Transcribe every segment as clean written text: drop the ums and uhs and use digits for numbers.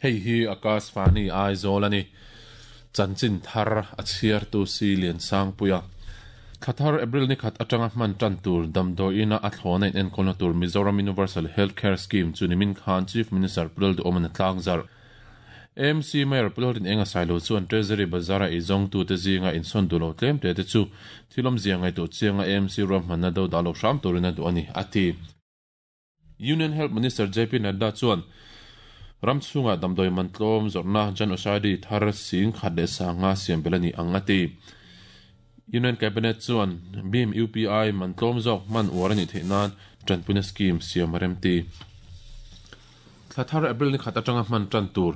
Hei hi Akashvani Aizawl a ni. Chanchin thar a chhiartu Si Liansangpuia. Thla thar April ni khat atanga hman tan tur damdawiina a thlawna inenkawlna tur Mizoram Universal Health Care Scheme chu nimin khan Chief Minister Pu Lalduhawm a tlangzarh. AMC Mayor Pu Lalrinenga Sailo chuan Treasury Bazar-a eizawngtute zinga insawn duh lo tlem te te chu thil awmzia ngaihtuah chianga AMC ruahmanna do dah lo hram turin a duh a ni, a ti. Union Health Minister JP Nadda chuan ram chhungah damdawi man tlawm zawrhna Jan Aushadhi thar 10,500 siam belh a ni ang, a ti. Union Cabinet chuan BHIM UPI man tlawm zawk hman uar a nih theih nan tanpuina scheme siam a remti. Thla thar April ni khat atanga hman tan tur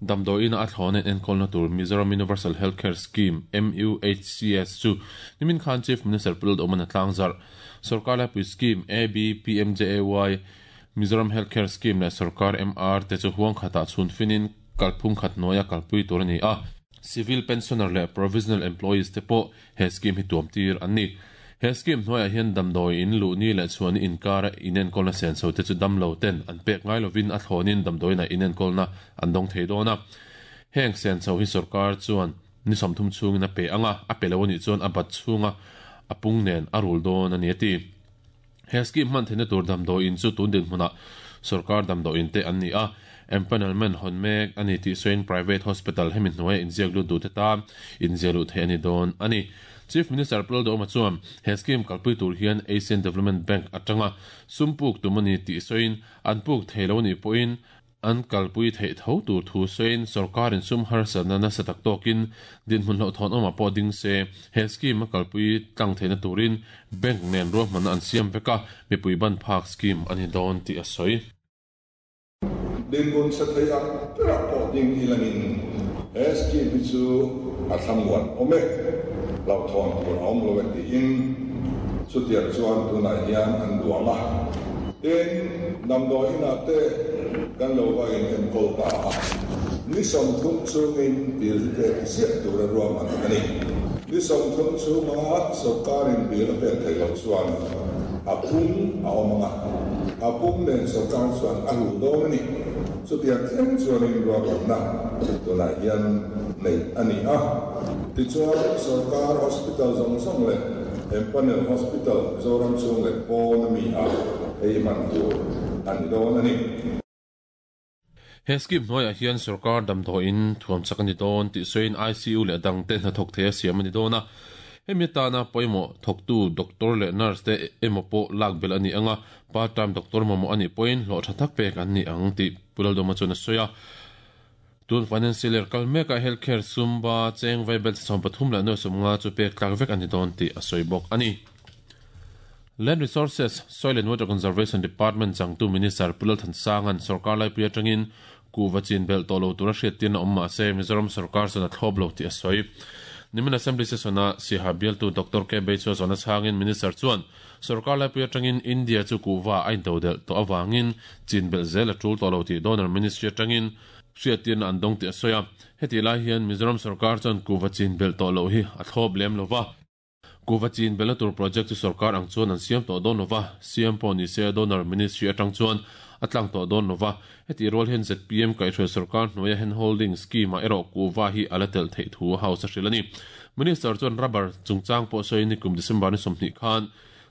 damdawiina a thlawna in enkawlna tur Mizoram Universal Health Care Scheme, MUHCS, chu nimin khan Chief Minister Pu Lalduhawman a tlangzarh. Sorkar laipui scheme AB-PMJAY, Mizoram Health Care Scheme leh Sorkar MR te chu huang khatah chhun finin kalphung khat hnuaia kalpui tur a ni a. Civil pensioner leh provisional employees te pawh he scheme hi tuam tir an ni. He scheme hnuaiah hian damdawi in luh ni leh chhuah ni inkara inenkawlna senso te chu damlo ten an pek ngai lovin a thlawnin damdawiinah inenkawlna an dawng thei dawn a. Heng senso hi sorkar chuan ni 30 chhungin a pe ang a, a pe lo a nih chuan a bat chhunga a pung nen a rul dawn a ni a ti. He scheme hman theihna tur damdawiin chu tun dinhmunah sorkar damdawiin te an ni a, empanelment hawn mek a ni tih sawiin private hospital hemi hnuaia inziak lut duhte tan inziah luh theih a ni dawn a ni. Chief Minister Pu Lalduhoma chuan he scheme kalpui tur hian Asian Development Bank atanga sum puk tum a ni tih sawiin an puk thei lo a nih pawhin An kalpui theih tho tur thu sawiin sorkarin sum harsatna nasa tak tawkin dinhmun hlauhthawn awmah pawh ding se, he scheme a kalpui tlang theihna turin bank nen ruahmanna an siam vek a, mipui ban phak scheme a ni dawn tih a sawi. Dinhmun chhe thei ang berah pawh ding ilangin he scheme hi chu a thlamuan awm e, hlauhthawn tur a awm lo e tiin chutiang chuan tunah hian an duang a. Tin, damdawi inah te kan lo va in enkawl ta a, ni 30 chhungin bill hi pek ziah tura ruahman a ni. Ni 30 chhunga sawrkarin bill a pek theih loh chuan a pum a awm ang a, a pum nen sawrkar chuan a rul dawn a ni. Chutiang thleng chuanin ruahmanna tunah hian neih a ni a. Tichuan, sawrkar hospital zawng zawng leh Empanel Hospital Mizoram chhung leh pawn a mi a ei hman tur a ni dawn a ni. He scheme hnuaiah hian sawrkar damdawiin thuam chak a ni dawn tih sawiin ICU leh dangte hnathawk thei a siam a ni dawn a. Hemi atana pawimawh thawktu doctor leh nurse te emaw pawh lak belh a ni ang a, part time doctor mamawh a nih pawhin hlawh tha tak pek an ni ang tih Pu Laldawma chuan a sawi a. Tun financial year kal mekah health care sumba cheng vai bel 34.50 chu pek tlak vek a ni dawn tih a sawi bawk a ni. Land Resources, Soil and Water Conservation Department changtu Minister Pu Lalthansanga'n sorkar laipui atangin kuhva chin belh tawh lo tura hriattirna awm mah se Mizoram sorkar chuan a thlawp lo tih a sawi. Nimin Assembly session-a Siaha bialtu Doctor K Beichua zawhna chhangin Minister chuan Sorkar laipui atangin India chu kuhva a intodelh tawh avangin chin belh zel a tul tawh lo tih Donor Ministry atangin hriattirna an dawng tih a sawi a. Hetih lai hian Mizoram sorkar chuan kuhva chin belh tawh loh hi a thlawp lem lo va. Kuhva chin belhna tur project chu sorkar ang chuan an siam tawh dawn lo va, siam pawh ni se Donor Ministry atang chuan a tlang tawh dawn lo va. Hetih rual hian zpm kaihhruai sorkar hnuaia hand holding scheme ah erawh kuhva hi a la telh theih thu House a hrilh a ni. Minister chuan rubber chungchang pawh sawiin nikum December ni 20 khan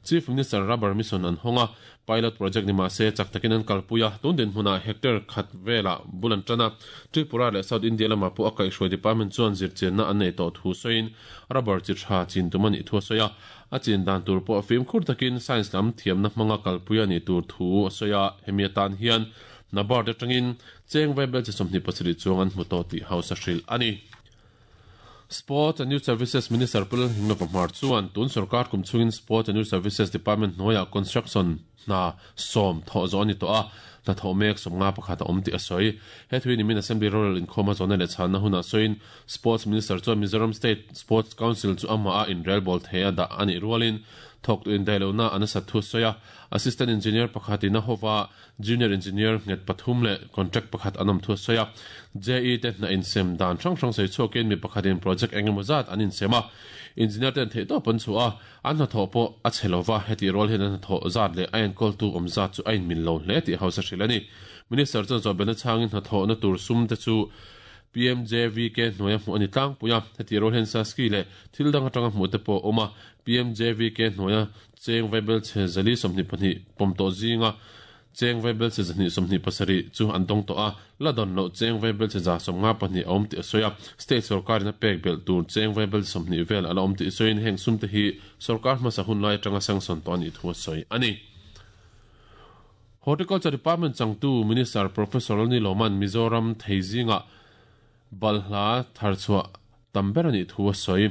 Chief Minister Rubber Mission an hawng a, pilot project ni mahse chak takin an kalpui a, tun dinhmunah hectare khat velah bul an tan a, Tripura leh South India lamah pawh a kaihhruai department chuan zirchianna an nei tawh thu sawiin rubber chi tha chin tum a nih thu a sawi a, a chin dan tur pawh fimkhur takin science lam thiamna hmanga kalpui a nih tur thu a sawi a, hemi atan hian NABARD atangin cheng vaibel chi 27 chuang an hmu tawh tih House a hrilh a ni. Sports and Youth Services Minister Pu Lalhinglo Pahmar chuan tun sorkar kum chhungin Sports and Youth Services Department hnuaiah construction hna 10 thawh zawh a ni tawh a, hna thawh mek 51 a awm tih a sawi. He thui nimin Assembly Rural inkhawma zawhna leh chhanna hunah sawiin Sports Minister chuan Mizoram State Sports Council chu amah a inrelbawl thei a dah a nih rualin thawktu indaihlohna a nasat thu a sawi a, Assistant Engineer pakhatin a hova Junior Engineer nghet pathum leh contract pakhat an awm thu a sawi a. JE te hna insem dan hrang hrang sawi chhuakin mi pakhatin project eng emaw zat an insem a. Engineer ten theihtawp an chhuah a, an hnathawh pawh a chhe lo va, hetih rual hian an hnathawh zat leh a enkawltu awm zat chu a inmil lo hle tih House a hrilh a ni. Minister chuan zawhbelhna chhangin hnathawhna tur sum te chu PMJVK hnuaia hmuh a ni tlangpui a, heti rual hian Saski leh thil dang atanga hmuh te pawh a awm a, PMJVK hnuaia cheng vaibelchhe 422 pawm tawh zinga cheng vaibelchhe 127 chu an dawng tawh a, la dawn loh cheng vaibelchhe 152 a awm tih a sawi a, state sorkarin a pek belh tur cheng vaibelchhe 20 vel a la awm tih sawiin heng sum te hi sorkar hmasa hun lai atanga sanction tawh a nih thu a sawi a ni. Horticulture Department changtu Minister Professor Lani Lawman Mizoram thei zingah balhla tharchhuah tam ber a nih thu a sawi.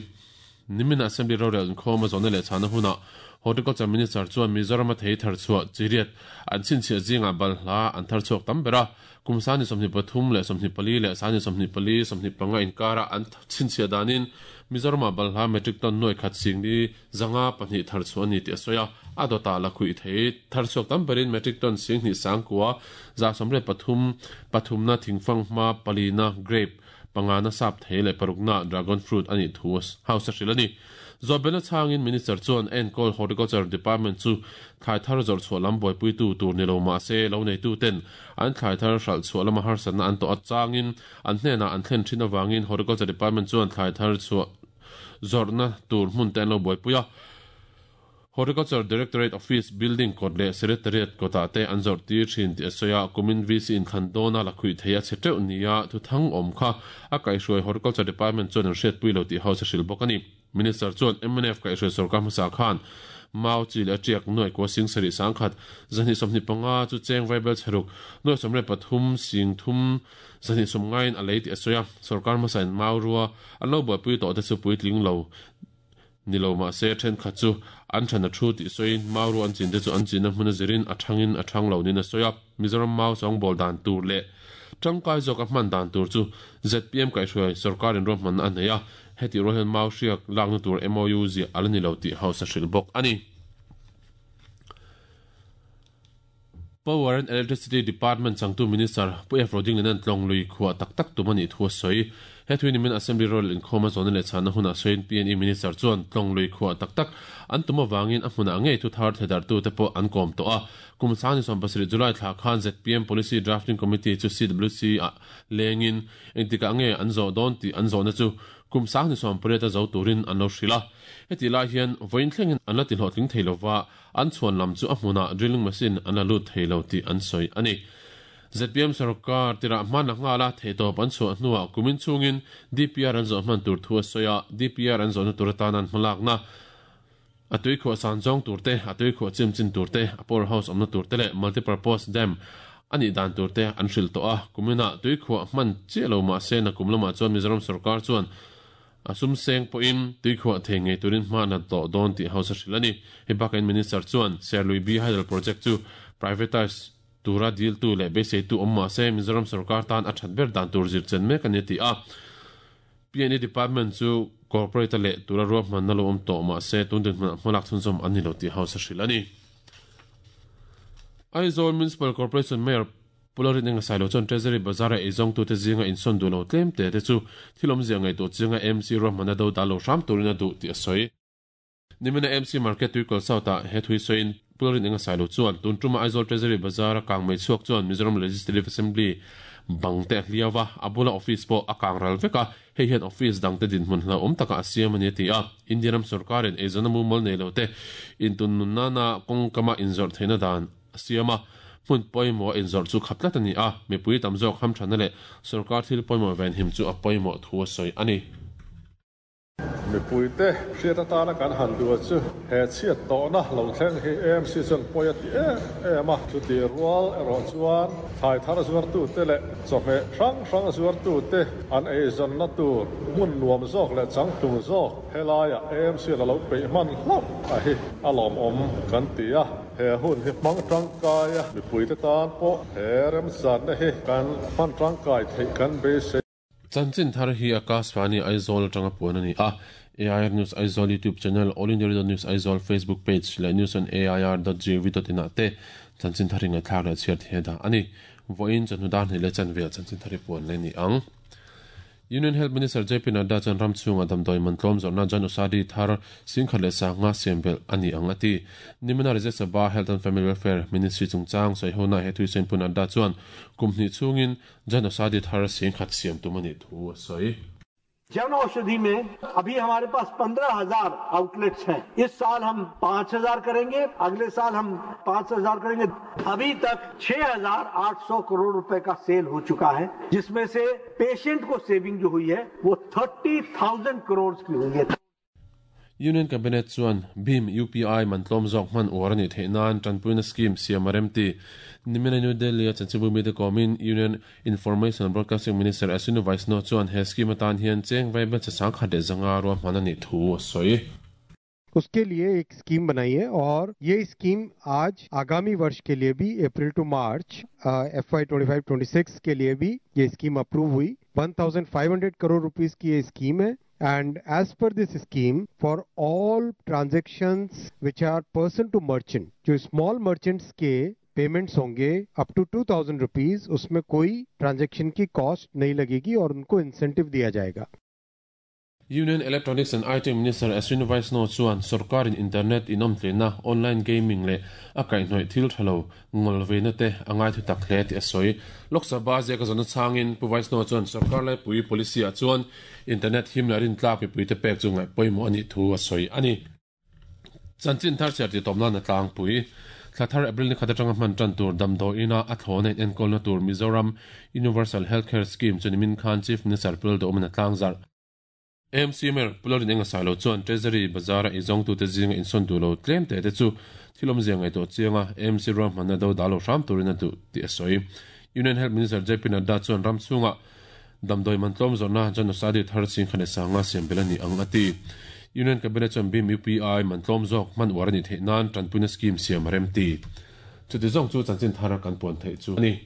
Nimin Assembly rorel inkhawm a zawhna leh chhahna hunah Horticulture Minister chuan Mizoram a thei tharchhuah chiriat an chhinchhiah zingah balhla an tharchhuak tam ber a, kum 23 leh 24 leh 24, 25 inkarah an chhinchhiah danin Mizoramah balhla metric ton nuai khat singli 502 tharchhuah a ni tih a sawi a, a dawtah la khuih thei tharchhuak tam berin metric ton 10,000 sangkua 133, pathumna thingfang hma palina grape, pangana sap thei leh parukna dragon fruit a nih thu House a hrilh a ni. Zawhbelna chhangin Minister chuan enkawl Horticulture Department chu thlai thar zawrh chhuah lam buaipuitu tur ni lo mah se lo neituten an thlai thar hralh chhuah lama harsatna an tawh achangin an hnenah an thlen thin avangin Horticulture Department chuan thlai thar chhuah zawrhna tur hmun te an lo buaipui a. Horticulture Directorate Office building kawt leh Secretariat kawtah te an zawrh tir thin tih a sawi a, kumin VC inthlan dawna la khuih thei a chhe teuh nia thuthang awm kha a kaihhruai Horticulture Department chuan an hriatpui lo tih House a hrilh bawk a ni. Minister chuan mnf kaihhruai sorkar hmasa khan mau chi leh a tiak nuai kua sing sarih sangkhat 225 chu cheng vaibel chheruk nuai 13 sing thum 290 in a lei tih a sawi a, sorkar hmasain mau rua an lo buaipui tawh te chu puitling lo ni lo mah se thenkhat chu an than a thu tih sawiin mau rua an chin te chu an chinna hmun a zirin a thangin a thang lo niin a sawi a, Mizoram mau sawngbawl dan tur leh tangkai zawk a hman dan tur chu zpm kaihhruai sorkarin ruahmanna a nei a, hetih rual hian mau hriak lakna tur MOU ziah a la ni lo tih House a hrilh bawk a ni. Power and Electricity Department changtu Minister Pu F. Rodingliana'n tlawng lui khuah tak tak tum a nih thu a sawi. He thui nimin Assembly Rural inkhawm a zawhna leh chhanna hunah sawiin PNE Minister chuan tlawng lui khuah tak tak an tum avangin a hmunah ngei thu thar thledarhtute pawh an kawm tawh a. Kum 27 July thla khan zpm Policy Drafting Committee chu CWC ah lengin engtikah nge an zawh dawn tih an zawhna chu kum 28 a zo turin an lo hrilh a. Hetih lai hian vawiin thlengin an la ti hlawhtling thei lova, an chhuan lam chu a hmunah drilling machine an la lut thei lo tih an sawi a ni. Zpm sarkar tirah hman a nghal a, theihtawp an chhuah hnuah kumin chhungin DPR an zawh hman tur thu a sawi a, DPR an zawhna tur atana an hmalakna a tuikhuah san zawng tur te, a tuikhuah chim chin tur te, a power house awmna tur te leh multipurpose dam a nih dan tur te an hrilh tawh a. Kuminah tuikhuah hman chiah lo mah se nakum lamah chuan Mizoram sarkar chuan a sum seng pawhin tuikhuah thei ngei turin hma a nat tawh dawn tih House a hrilh a ni. Hei bakain Minister chuan Serlui B Hydel Project chu privatise tura diltu leh beiseitu awm mah se Mizoram sarkar tan a that ber dan tur zir chen mek a ni a ti a. PNE Department chu Corporate a leh tura ruahmanna lo awm tawh mah se tun dinhmunah hmalak chhunzawm an ni lo tih House a hrilh a ni. Aizawl Municipal Corporation Mayor Pu Lalrin Enga Sailo chuan Treasury Bazar-a eizawngtute zinga insawn duh lo tlem te te chu thil awmzia ngaihtuah chinga AMC ruahmanna do dah lo hram turin a duh tih a sawi. Nimina AMC Market Tuikawl South-ah he thui sawiin Pu Lalrin Enga Sailo chuan tun tuma Aizawl Treasury Bazar-a kang mai chhuak chuan Mizoram Legislative Assembly bang te a hliau va, a bula office pawh a kang ral vek a, hei hian office dangte dinhmun hlauhawm takah a siam a ni a ti a. India ram sorkarin eizawnna mumal nei lote intunnun nana kawngkama inzawrh theihna dan a siam a, hmun pawimawh a inzawrh chu khap tlat a ni a, mipui tam zawk hamthanna leh sorkar thil pawimawh venhim chu a pawimawh thu a sawi a ni. Mipuite hriat atana kan han duh chu he chhiat tawhna lo thleng hi AMC chuan pawi a ti em em a, chutih rual erawh chuan thlai thar zuartute leh chawhmeh hrang hrang zuartute an eizawnna tur hmun nuam zawk leh changtlung zawk helaiah AMC la lo peih hman hlauh a hi a lawmawm kan ti a. He hun hi hmang tangkai a, mipuite tan pawh he remchanna hi kan hman tangkai theih kan beisei. Chanchin thar hi Akashvani Aizawl atanga puan a ni a, AIR News Aizawl YouTube channel, All India Radio News Aizawl Facebook page leh news on air dot gov dot in ah te chanchin thar hi ngaihthlak leh chhiar thei a dah a ni. Vawiin chawhnu dar hnih leh chanve ah chanchin thar hi puan leh a ni ang. Union Health Minister JP Nadda chuan ram chhunga damdawi man tlawm zawrhna Jan Aushadhi thar 10,500 siam belh a ni ang a ti. Nimina Rajya Sabha Health and Family Welfare Ministry chungchang sawihonaah he thuisen Pu Nadda chuan kum hnih chhungin Jan Aushadhi thar 10,000 siam tum a nih thu a sawi. Jan Aushadhi में अभी हमारे पास 15,000 outlets हैं। इस साल हम 5,000 करेंगे, अगले साल हम 5,000 करेंगे। अभी तक 6,800 करोड़ रुपए का सेल हो चुका है, जिसमें से पेशेंट को सेविंग जो हुई है वो 30,000 करोड़ की हुई है। Union Cabinet chuan BHIM UPI man tlawm zawk hman uar a nih theih nan tanpuina scheme siam a rem ti. Nimina New Delhi a chanchinbu mite kawmin Union Information and Broadcasting Minister Ashwini Vaishnaw chuan he scheme atan hian cheng vaibel che sangkhat leh zanga ruahman a nih thu a sawi. उसके लिए एक scheme बनाई है और ये scheme आज आगामी वर्ष के लिए भी अप्रैल to March FY 25-26 के लिए भी ये स्कीम अप्रूव हुई। 1500 करोड़ रुपीस की ये स्कीम है and as per this scheme for all transactions which are person to merchant, जो स्मॉल मर्चेंट्स के पेमेंट्स होंगे up to 2000 rupees, उसमें कोई ट्रांजैक्शन की कॉस्ट नहीं लगेगी और उनको इंसेंटिव दिया जाएगा। Union Electronics and IT Minister Ashwini Vaishnaw chuan sorkarin internet inawmtleina, online gaming leh a kaihhnawih thil tha lo ngawl veina te a ngai thu tak hle tih a sawi. Lok Sabha ziaka zawhna chhangin Pu Vaishnaw chuan sorkar laipui policy ah chuan internet him leh rintlak mipui te pek chu ngaih pawimawh a nih thu a sawi a ni. Chanchin thar chhiar tih tawp nan a tlangpui. Thla thar April ni khat atanga hman tan tur damdawiina a thlawna in enkawlna tur Mizoram Universal Healthcare Scheme chu nimin khan Chief Minister Pu Lalduhawmin a tlangzarh. AMC Mayor Pu Lalrin Enga Sailo chuan Treasury Bazar-a izawngtute zinga insawn duh lo tlem teh te chu thil awmzia ngaihtuah chianga AMC ruahmanna do dah lo hram turin a duh tih a sawi. Union Health Minister JP Nadda chuan ram chhunga damdawi man tlawm zawrhna Jan Aushadhi thar chingkhan leh sanga siam belh a ni ang a ti. Union Cabinet chuan BHIM UPI man tlawm zawk hman uar a nih theih nan tanpuina scheme siam a rem ti. Chuti zawng chu chanchin thar kan puan theih chu a ni.